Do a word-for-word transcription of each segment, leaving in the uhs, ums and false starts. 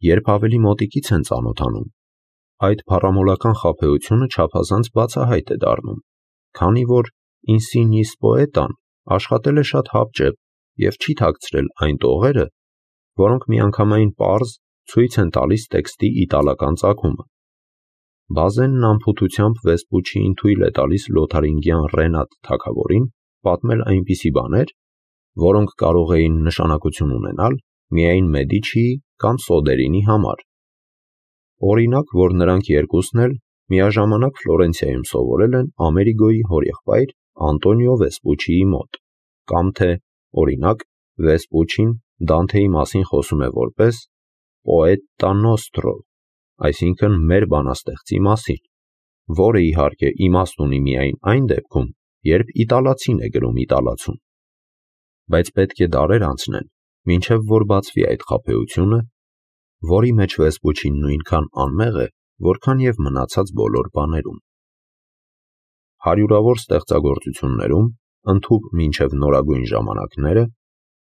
երբ ավելի մոտիկից են ծանոթանում, այդ փառամոլական խաբեությունը չափազանց բացահայտ է դառնում, քանի որ ինսինիս պոետան աշխատել է շատ հապճեպ և չի թաքցրել այն տողերը, որոնք միանգամայն պարզ ցույց են տալիս տեքստի իտալական ծագումը։ Բազենն անփութությամբ Վեսպուչիին թույլ է տալիս լոթարինգյան Ռենատ թագավորին պատմել այնպիսի բաներ, որոնք կարող էին նշանակություն ունենալ միայն Մեդիչիի կամ Սոդերինի համար։ Օրինակ, որ նրանք երկուսն էլ միաժամանակ Ֆլորենցիայում սովորել են Ամերիգոյի հորեղբայր Անտոնիո Վեսպուչիի մոտ, կամ թե, օրինակ, Վեսպուչին Դանթեի մասին խոսում է որպես «Պոետա նոստրո», այսինքն մեր բանաստեղծի մասին, որը իհարկե իմաստ ունի միայն այն դեպքում, երբ իտալացին է գրում իտալացուն։ Բայց պետք է դարեր անցնեն, մինչև որ բացվի այդ խաբեությունը, որի մեջ Վեսպուչին նույնքան անմեղ է, որքան և մնացած բոլոր բաներում։ Հարյուրավոր ստեղծագործություններում, ընդհուպ մինչև նորագույն ժամանակները,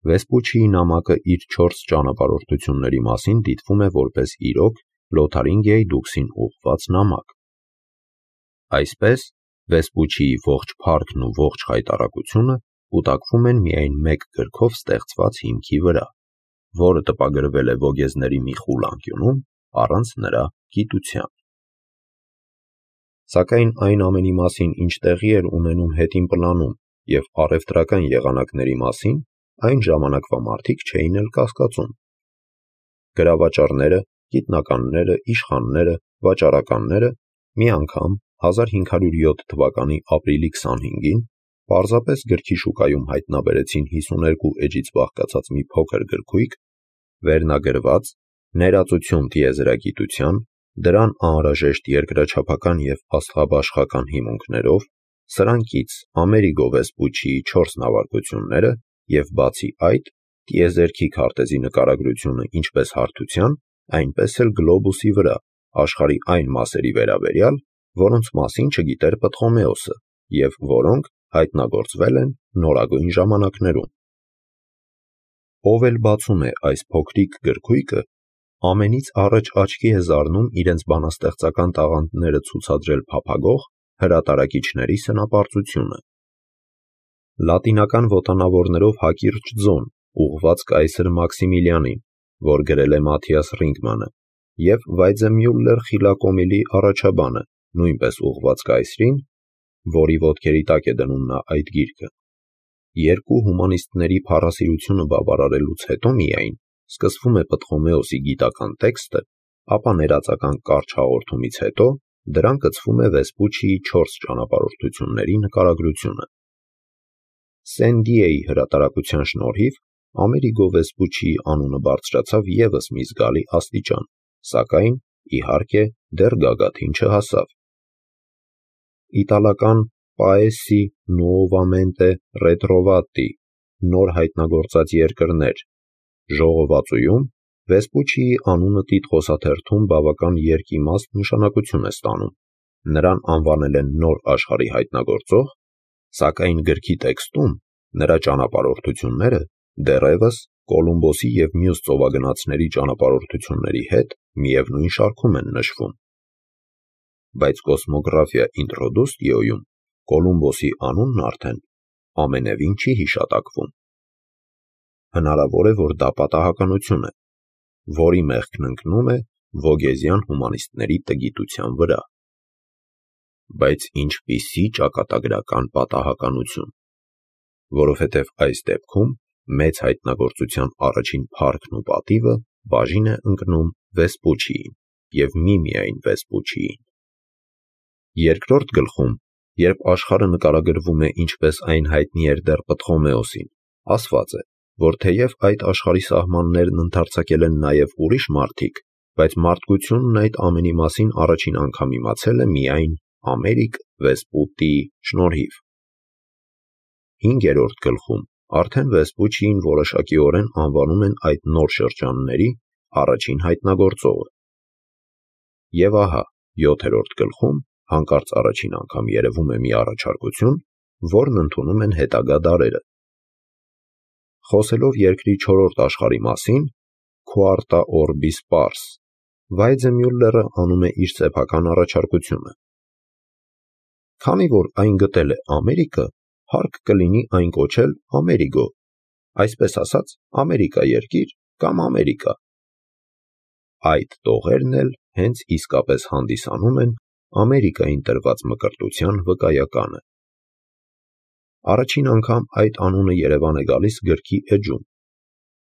Վեսպուչիի նամակը իր չորս ճանապարհորդությունների մասին դիտվում է որպես իրոք Լոթարինգիայի դուքսին ուղղված նամակ։ Այսպես, Վեսպուչիի ողջ փառքն ու ողջ խայտառակությունը կուտակվում են միայն մեկ գրքով ստեղծված հիմքի վրա, որը տպագրվել է Վոգեզների մի խուլ անկյունում առանց նրա գիտության։ Սակայն այն ամենի մասին, ինչ տեղի էր ունենում հետին պլանում և առևտրական եղանակների մասին, այն ժամանակվա մարդիկ չէին էլ կասկածում։ Գրավաճառները, գիտնականները, իշխանները, վաճառականները մի անգամ հազար հինգ հարյուր յոթ թվականի ապրիլի քսանհինգին պարզապես գրքի շուկայում հայտնաբերեցին հիսուներկու էջից բաղկացած մի փոքր գրքույկ, վերնագրված «Ներածություն տիեզերագիտության», դրան անհրաժեշտ երկրաչափական և աստղաբաշխական հիմունքներով, սրանքից Ամերիգո Վեսպուչիի չորս նավարկությունները և բացի այդ, տիեզերքի քարտեզի նկարագրությունը ինչպես հարթության, այնպես էլ գլոբուսի վրա, աշխարհի այն մասերի վերաբերյալ, որոնց մասին չգիտեր Պտղոմեոսը և որոնք հայտնագործվել են նորագույն ժամանակներում։ Ով էլ բացում է այս փոքրիկ գրքույկը, ամենից առաջ աչքի է զարնում իրենց բանաստեղծական տաղանդները ցուցադրել փափագող հրատարակիչների սնապարծությունը։ Լատինական ոտանավորներով հակիրճ ձոն, ուղղված կայսր Մաքսիմիլիանին, որ գրել է Մաթիաս Ռինգմանը, և Վայձեմյուլլեր խիլակոմիլի առաջաբանը, նույնպես ուղղված կայսրին, որի ոտքերի տակ է դնում նա այդ գիրքը։ Երկու հումանիստների փառասիրությունը բավարարելուց հետո միայն սկսվում է Պտղոմեոսի գիտական տեքստը, ապա ներածական կարճ հաղորդումից հետո դրան կցվում է Վեսպուչիի չորս ճանապարհորդությունների նկարագրությունը։ Սեն-Դիեի հրատարակության շնորհիվ Ամերիգո Վեսպուչիի անունը բարձրացավ ևս մի զգալի աստիճան, սակայն, իհարկե, դեռ գագաթին չհասավ։ Իտալական «Paesi nuovamente ritrovati» նոր հայտնագործած երկրներ ժողովածուում Վեսպուչիի անունը տիտղոսաթերթում բավական երկիմաստ նշանակություն է ստանում, նրան անվանել են նոր աշխարհի հայտնագործող, սակայն գրքի տեքստում նրա ճանապարհորդությունները դեռևս Կոլումբոսի և մյուս ծովագնացների ճանապարհորդությունների հետ միևնույն շարքում են նշվում։ Բայց Կոսմոգրաֆիա ինտրոդուստիոյում Կոլումբոսի անունն արդեն ամենևին չի հիշատակվում։ Հնարավոր է, որ դա պատահականություն է, որի մեղքն ընկնում է Վոգեզյան հումանիստների տգիտության վրա։ Բայց ինչպիսի ճակատագրական պատահականություն, որովհետև այս դեպքում մեծ հայտնագործության առաջին փառքն ու պատիվը բաժին է ընկնում Վեսպուչիին և միմիայն Վեսպուչիին։ Երկրորդ գլխում, երբ աշխարհը նկարագրվում է ինչպես այն հայտնի էր դեռ Պտղոմեոսին, ասված է, որ թեև այդ աշխարհի սահմաններն ընդարձակել են նաև ուրիշ մարդիկ, բայց մարդկությունն այդ ամենի մասին առաջին անգամ իմացել է միայն Ամերիկ Վեսպուտիի շնորհիվ։ Հինգերորդ գլխում արդեն Վեսպուչիին որոշակիորեն անվանում են այդ նոր շրջանների առաջին հայտնագործողը։ Եվ ահա, յոթերորդ գլխում հանկարծ առաջին անգամ երևում է մի առաջարկություն, որն ընդունում են հետագա դարերը։ Խոսելով երկրի չորրորդ աշխարհի մասին, Quarta Orbis Pars, Վայձեմյուլլերը անում է իր սեփական առաջարկությունը։ Քանի որ այն գտել է Ամերիկը, հարկ կլինի այն կոչել Ամերիգո, այսպես ասած Ամերիկա երկիր կամ Ամերիկա։ Այդ տողերն էլ հենց իսկապես հանդիսանում են Ամերիկային տրված մկրտության վկայականը։ Առաջին անգամ այդ անունը Երևան է գալիս գրքի էջում։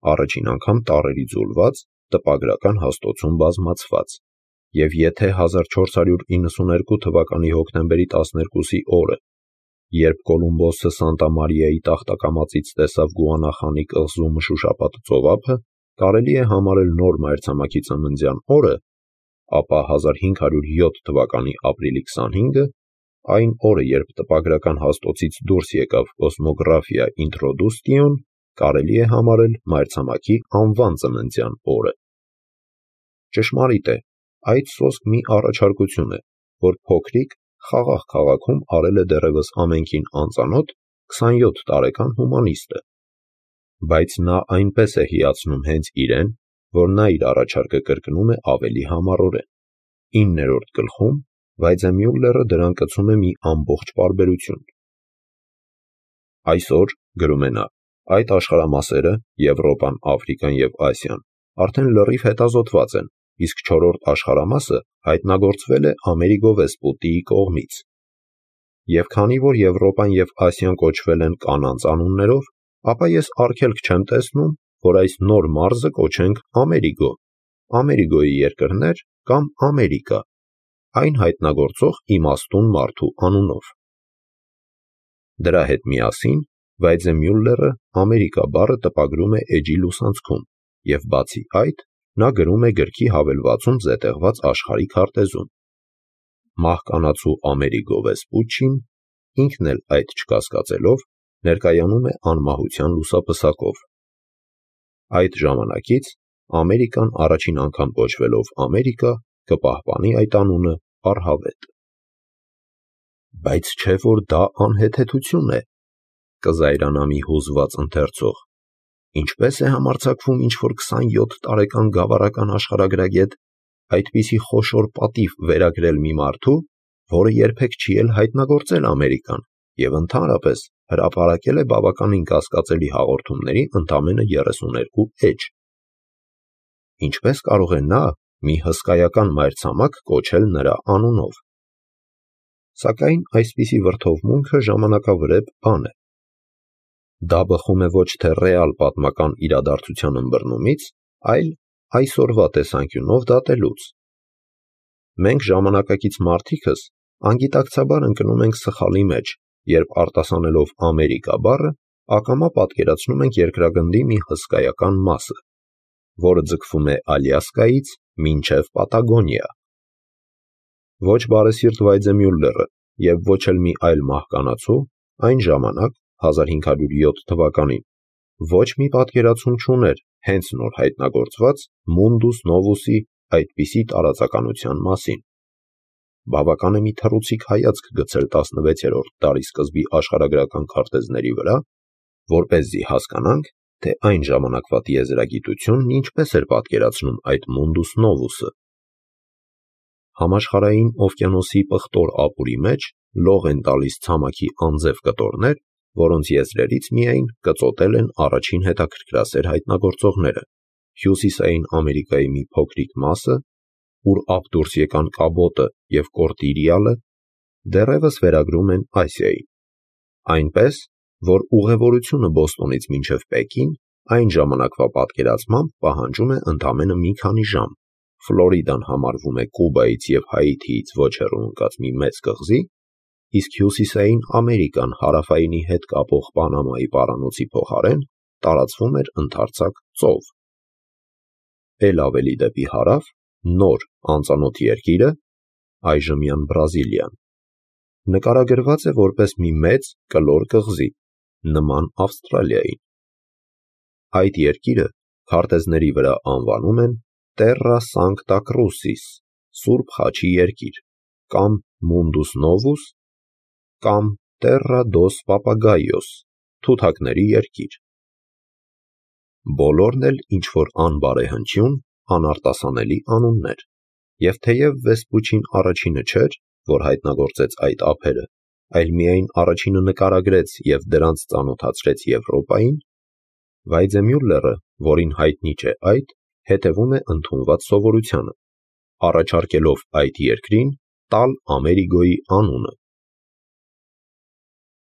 Առաջին անգամ տառերի ձուլված, տպագրական հաստոցում բազմացված, և եթե հազար չորս հարյուր իննսուներկու թվականի հոկտեմբերի տասներկուսի օրը, երբ Կոլումբոսը Սանտա Մարիայի տախտակամածից տեսավ Գուանախանի կղզու մշուշապատ ծովափը, կարելի է համարել նոր մայրցամաքի ծննդյան օրը, ապա հազար հինգ հարյուր յոթ թվականի ապրիլի քսանհինգը, այն օրը, երբ տպագրական հաստոցից դուրս եկավ Կոսմոգրաֆիա Ինտրոդուստիոն, կարելի է համարել մայրցամաքի անվան ծննդյան օրը։ Ճշմարիտ է, այդ սոսկ մի առաջարկություն է, որ փոքրիկ, խաղաղ քաղաքում արել է դեռևս ամենքին անծանոթ քսանյոթ տարեկան հումանիստը, բայց նա այնպես է հիացնում հենց իրեն, որ նա իր առաջարկը կրկնում է ավելի համառորեն։ Իններորդ գլխում Վայձեմյուլլերը դրան կցում է մի ամբողջ պարբերություն։ Այսօր, գրում է նա, այդ աշխարհամասերը՝ Եվրոպան, Աֆրիկան և Ասիան, արդեն լրիվ հետազոտված են, իսկ չորրորդ աշխարհամասը հայտնագործվել է Ամերիգո Վեսպուտիի կողմից։ Եվ քանի որ Եվրոպան և Ասիան կոչվել են կանանց անուններով, ապա ես արգելք չեմ տեսնում, որ այս նոր մարզը կոչենք Ամերիգո, Ամերիգոյի երկրներ կամ Ամերիկա, այն հայտնագործող իմաստուն մարդու անունով։ Դրա հետ միասին Վայձեմյուլլերը Ամերիկա բառը տպագրում է էջի լուսանցքում, և բացի այդ, նա գրում է գրքի հավելվածում զետեղված աշխարհի քարտեզում։ Մահկանացու Ամերիգո Վեսպուչին, ինքն էլ այդ չկասկածելով, ներկայանում է անմահության լուսապսակով։ Այդ ժամանակից Ամերիկան առաջին անգամ կոչվելով Ամերիկա, կպահպանի այդ անունը առհավետ։ Բայց չէ՞ որ դա անհեթեթություն է, կզայրանա մի հուզված ընթերցող։ Ինչպե՞ս է համարձակվում ինչ-որ քսանյոթ տարեկան գավառական աշխարհագրագետ այդպիսի խոշոր պատիվ վերագրել մի մարդու, որը երբեք չի էլ հայտնագործել Ամերիկան և ընդհանրապես հրապարակել է բավականին կասկածելի հաղորդումների ընդամենը երեսուներկու էջ։ Ինչպե՞ս կարող է նա մի հսկայական մայրցամաք կոչել նրա անունով։ Սակայն այսպիսի վրդովմունքը ժամանակավրեպ բան է։ Դա բխում է ոչ թե ռեալ պատմական իրադարձության ըմբռնումից, այլ այսօրվա տեսանկյունով դատելուց։ Մենք ժամանակակից մարդիկս անգիտակցաբար ընկնում ենք սխալի մեջ, երբ արտասանելով Ամերիկա բառը, ակամա պատկերացնում ենք երկրագնդի մի հսկայական մասը, որը ձգվում է Ալյասկայից մինչև Պատագոնիա։ Ոչ բարեսիրտ Վայձեմյուլլերը և ոչ էլ մի այլ մահկանացու այն ժամանակ, հազար հինգ հարյուր յոթ թվականին, ոչ մի պատկերացում չուներ հենց նոր հայտնագործված Mundus Novus-ի այդպիսի տարածականության մասին։ Բավական է մի թռուցիկ հայացք գցել տասնվեցերորդ դարի սկզբի աշխարհագրական քարտեզների վրա, որպեսզի հասկանանք, թե այն ժամանակվա տիեզերագիտությունն ինչպես էր պատկերացնում այդ Mundus Novus-ը։ Համաշխարհային օվկիանոսի պղտոր ապուրի մեջ լող են տալիս ցամաքի անձև կտորներ, որոնց եզրերից միայն կծոտել են առաջին հետաքրքրասեր հայտնագործողները՝ Հյուսիսային Ամերիկայի մի փոքրիկ մասը, ուր ափ դուրս եկան Կաբոտը և Կորտիրիալը, դեռևս վերագրում են Ասիային։ Այնպես, որ ուղևորությունը Բոստոնից մինչև Պեկին այն ժամանակվա պատկերացմամբ պահանջում է ընդամենը մի քանի ժամ, Ֆլորիդան համարվում է Կուբայից և Հայիթիից ոչ հեռու ընկած մի մեծ կղզի, իսկ Հյուսիսային Ամերիկան Հարավայինի հետ կապող Պանամայի պարանոցի փոխարեն տարածվում էր ընդարձակ ծով։ Էլ ավելի դեպի հարավ նոր անծանոթ երկիրը, այժմյան Բրազիլիան, նկարագրված է որպես մի մեծ կլոր կղզի, նման Ավստրալիային։ Այդ երկիրը քարտեզների վրա անվանում են Terra Sancta Crucis, Սուրբ Խաչի երկիր, կամ Mundus Novus, կամ Terra dos Papagaios, Թութակների երկիր։ Բոլորն էլ ինչ-որ անբարեհնչյուն, անարտասանելի անուններ, և թեև Վեսպուչին առաջինը չէր, որ հայտնագործեց այդ ափերը, այլ միայն առաջինը նկարագրեց և դրանց ծանոթացրեց Եվրոպային, Վայձեմյուլլերը, որին հայտնի չէ այդ, հետևում է ընդունված սովորությանը, առաջարկելով այդ երկրին տալ Ամերիգոյի անունը։